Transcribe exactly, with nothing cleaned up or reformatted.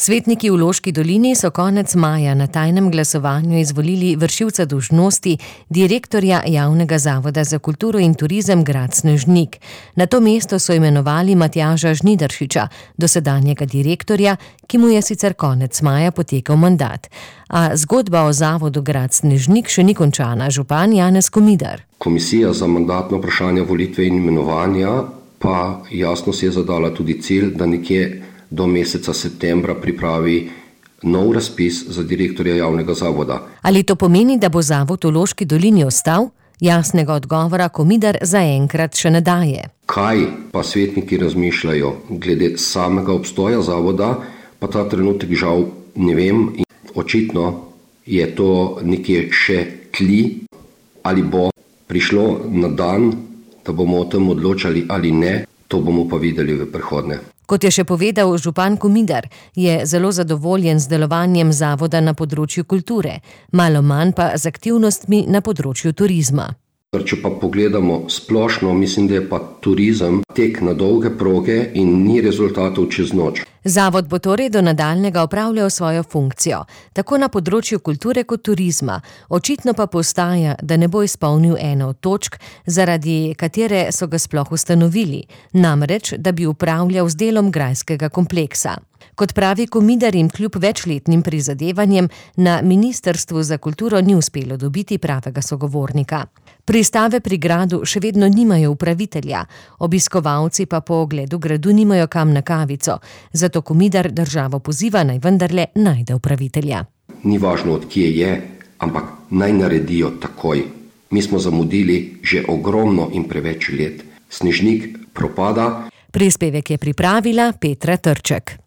Svetniki v Loški dolini so konec maja na tajnem glasovanju izvolili vršilca dolžnosti direktorja Javnega zavoda za kulturo in turizem grad Snežnik. Na to mesto so imenovali Matjaža Žnidaršiča, dosedanjega direktorja, ki mu je sicer konec maja potekel mandat. A zgodba o zavodu grad Snežnik še ni končana. Župan Janez Komidar. Komisija za mandatno vprašanje volitve in imenovanja pa jasno si je zadala tudi cilj, da nekje do meseca septembra pripravi nov razpis za direktorja javnega zavoda. Ali to pomeni, da bo zavod v Loški dolini ostal? Jasnega odgovora Komidar zaenkrat še ne daje. Kaj pa svetniki razmišljajo glede samega obstoja zavoda, pa ta trenutek žal ne vem. In očitno je to nekje še tli, ali bo prišlo na dan, da bomo o tem odločali ali ne, to bomo pa videli v prihodnje. Kot je še povedal župan Komidar, je zelo zadovoljen z delovanjem zavoda na področju kulture, malo manj pa z aktivnostmi na področju turizma. Če pa pogledamo splošno, mislim, da je pa turizem tek na dolge proge in ni rezultatov čez noč. Zavod bo torej do nadaljnjega opravljal svojo funkcijo, tako na področju kulture kot turizma. Očitno pa postaja, da ne bo izpolnil eno od točk, zaradi katere so ga sploh ustanovili, namreč, da bi upravljal z delom grajskega kompleksa. Kot pravi Komidar, jim kljub večletnim prizadevanjem na Ministrstvu za kulturo ni uspelo dobiti pravega sogovornika. Pristave pri gradu še vedno nimajo upravitelja, obiskovalci pa po ogledu gradu nimajo kam na kavico, zato Komidar državo poziva, naj vendarle najde upravitelja. Ni važno, od kje je, ampak naj naredijo takoj. Mi smo zamudili že ogromno in preveč let. Snežnik propada. Prispevek je pripravila Petra Trček.